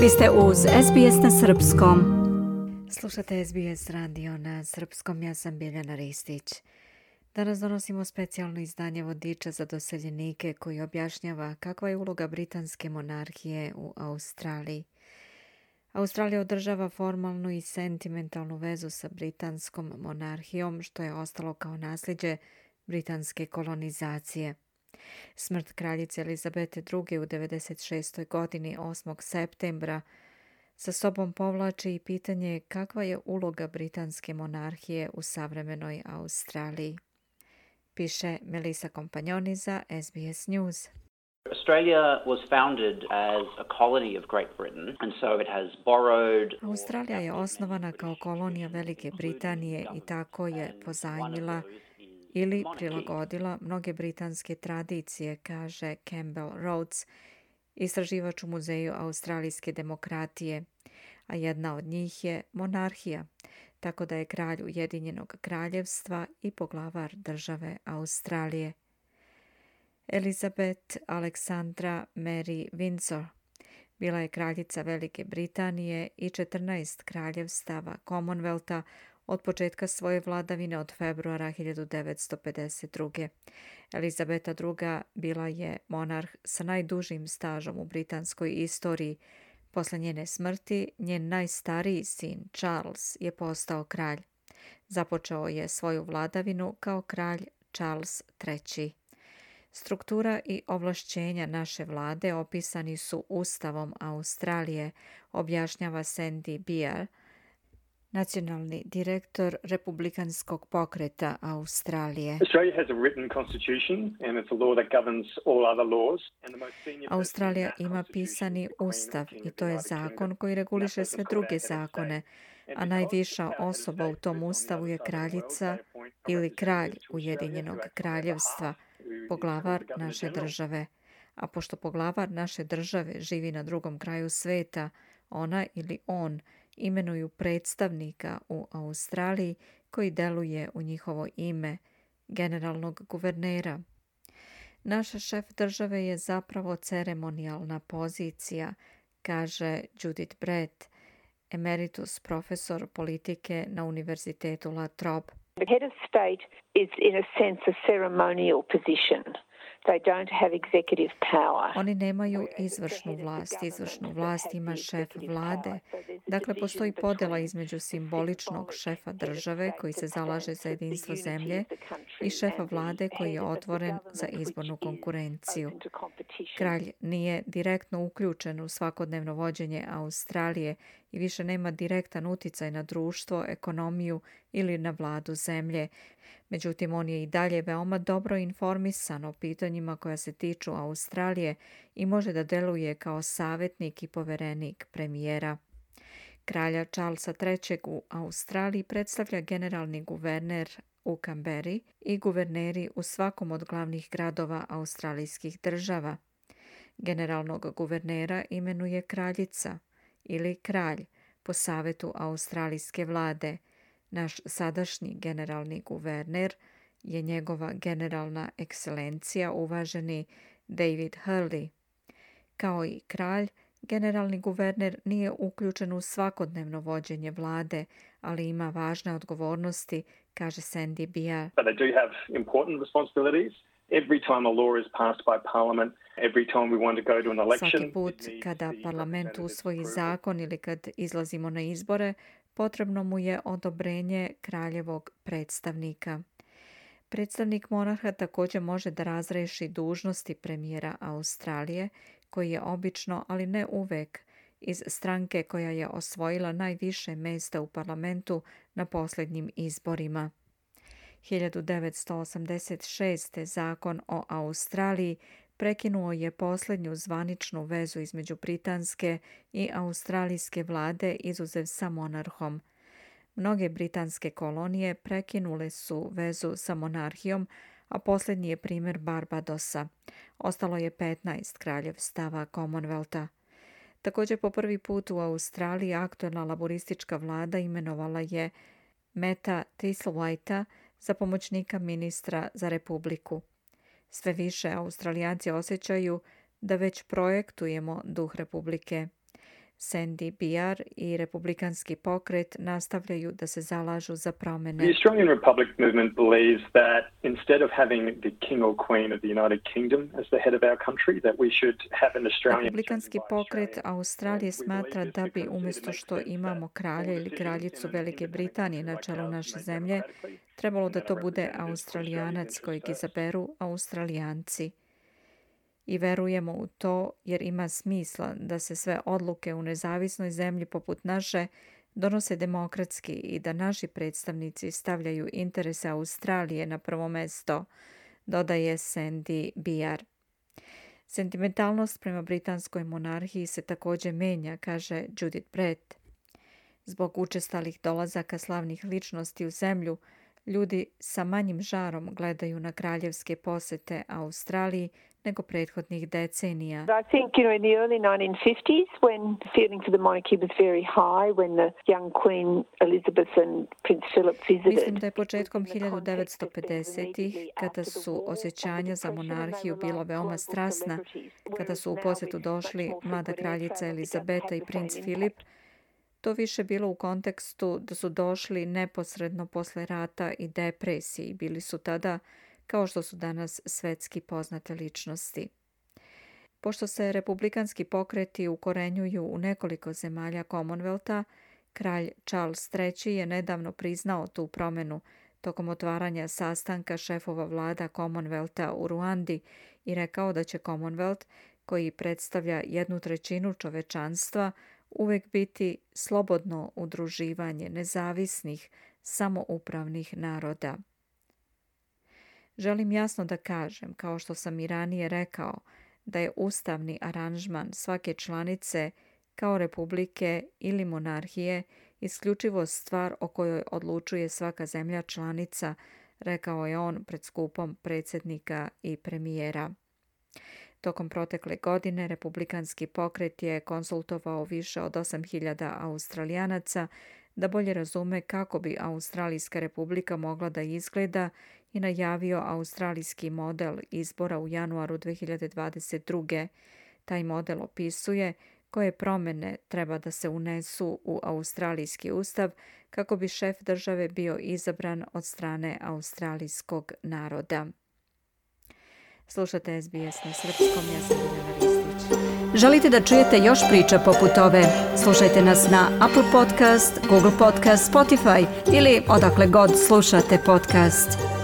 Vi ste uz SBS na srpskom. Slušate SBS radio na srpskom, ja sam Biljana Ristić. Danas donosimo specijalno izdanje vodiča za doseljenike koji objašnjava kakva je uloga britanske monarhije u Australiji. Australija održava formalnu i sentimentalnu vezu sa britanskom monarhijom, što je ostalo kao nasljeđe britanske kolonizacije. Smrt kraljice Elizabete II. U 96. godini 8. septembra sa sobom povlači i pitanje kakva je uloga britanske monarhije u savremenoj Australiji. Piše Melissa Kompanjoni za SBS News. Australia was founded as a colony of Great Britain, and so it has borrowed. Australija je osnovana kao kolonija Velike Britanije i tako je pozajmila ili prilagodila mnoge britanske tradicije, kaže Campbell Rhodes, istraživač u Muzeju australijske demokratije, a jedna od njih je monarhija, tako da je kralj Ujedinjenog kraljevstva i poglavar države Australije. Elizabeth Alexandra Mary Windsor bila je kraljica Velike Britanije i 14 kraljevstava Commonwealtha od početka svoje vladavine od februara 1952. Elizabeta II. Bila je monarh sa najdužim stažom u britanskoj istoriji. Posle njene smrti, njen najstariji sin Charles je postao kralj. Započeo je svoju vladavinu kao kralj Charles III. Struktura i ovlašćenja naše vlade opisani su Ustavom Australije, objašnjava Sandy Beer, nacionalni direktor Republikanskog pokreta Australije. Australija ima pisani ustav i to je zakon koji reguliše sve druge zakone, a najviša osoba u tom ustavu je kraljica ili kralj Ujedinjenog kraljevstva, poglavar naše države. A pošto poglavar naše države živi na drugom kraju sveta, ona ili on imenuju predstavnika u Australiji koji deluje u njihovo ime, generalnog guvernera. Naš šef države je zapravo ceremonijalna pozicija, kaže Judith Brett, emeritus profesor politike na Univerzitetu La Trobe. The head of state is in a sense a ceremonial position. They don't have executive power. Oni nemaju izvršnu vlast. Izvršnu vlast ima šef vlade. Dakle, postoji podela između simboličnog šefa države koji se zalaže za jedinstvo zemlje i šefa vlade koji je otvoren za izbornu konkurenciju. Kralj nije direktno uključen u svakodnevno vođenje Australije i više nema direktan uticaj na društvo, ekonomiju ili na vladu zemlje. Međutim, on je i dalje veoma dobro informisan o pitanjima koja se tiču Australije i može da deluje kao savjetnik i poverenik premijera. Kralja Charlesa III. U Australiji predstavlja generalni guverner u Kamberi i guverneri u svakom od glavnih gradova australijskih država. Generalnog guvernera imenuje kraljica ili kralj po savjetu australijske vlade. Naš sadašnji generalni guverner je njegova generalna ekscelencija uvaženi David Hurley. Kao i kralj, generalni guverner nije uključen u svakodnevno vođenje vlade, ali ima važne odgovornosti, kaže Sandy Beer. But they do have important responsibilities. Every time a law is passed by Parliament, every time we want to go to an election. Svaki put kada parlament usvoji zakon ili kad izlazimo na izbore, potrebno mu je odobrenje kraljevog predstavnika. Predstavnik monarha također može da razreši dužnosti premijera Australije, koji je obično, ali ne uvek, iz stranke koja je osvojila najviše mjesta u parlamentu na posljednjim izborima. 1986. zakon o Australiji prekinuo je posljednju zvaničnu vezu između britanske i australijske vlade izuzev sa monarhom. Mnoge britanske kolonije prekinule su vezu sa monarhijom, a posljednji je primjer Barbadosa. Ostalo je 15 kraljevstava Commonwealtha. Također po prvi put u Australiji aktualna laboristička vlada imenovala je Meta Thistlewhitea za pomoćnika ministra za Republiku. Sve više Australijanci osjećaju da već projektujemo duh Republike. Sandy Bear i Republikanski pokret nastavljaju da se zalažu za promjene. The Australian Republic movement believes that instead of having the king or queen of the United Kingdom as the head of our country, that we should have an Australian... Republikanski pokret Australije smatra da bi umjesto što imamo kralja ili kraljicu Velike Britanije na čelu naše zemlje, trebalo da to bude Australijanac kojeg izaberu Australijanci. I verujemo u to jer ima smisla da se sve odluke u nezavisnoj zemlji poput naše donose demokratski i da naši predstavnici stavljaju interese Australije na prvo mesto, dodaje Sandy Bear. Sentimentalnost prema britanskoj monarhiji se također menja, kaže Judith Brett. Zbog učestalih dolazaka slavnih ličnosti u zemlju, ljudi sa manjim žarom gledaju na kraljevske posete Australiji nego prethodnih decenija. I think, in the early 1950s, when feeling for the monarchy was very high, when the young Queen Elizabeth and Prince Philip visited. Mislim da je početkom 1950-ih, kada su osjećanja za monarhiju bila veoma strasna, kada su u posjetu došli mlada kraljica Elizabeta i princ Filip, to više bilo u kontekstu da su došli neposredno posle rata i depresije i bili su tada, kao što su danas svetski poznate ličnosti. Pošto se republikanski pokreti ukorenjuju u nekoliko zemalja Commonwealtha, kralj Charles III je nedavno priznao tu promjenu tokom otvaranja sastanka šefova vlada Commonwealtha u Ruandi i rekao da će Commonwealth, koji predstavlja 1/3 čovečanstva, uvijek biti slobodno udruživanje nezavisnih, samoupravnih naroda. Želim jasno da kažem, kao što sam i ranije rekao, da je ustavni aranžman svake članice, kao republike ili monarhije, isključivo stvar o kojoj odlučuje svaka zemlja članica, rekao je on pred skupom predsjednika i premijera. Tokom protekle godine republikanski pokret je konsultovao više od 8.000 Australijanaca da bolje razume kako bi Australijska republika mogla da izgleda i najavio australijski model izbora u januaru 2022. Taj model opisuje koje promjene treba da se unesu u australijski ustav kako bi šef države bio izabran od strane australijskog naroda. Slušate SBS na srpskom, ja sam Biljana Ristić. Želite da čujete još priča poput ove? Slušajte nas na Apple Podcast, Google Podcast, Spotify ili odakle god slušate podcast.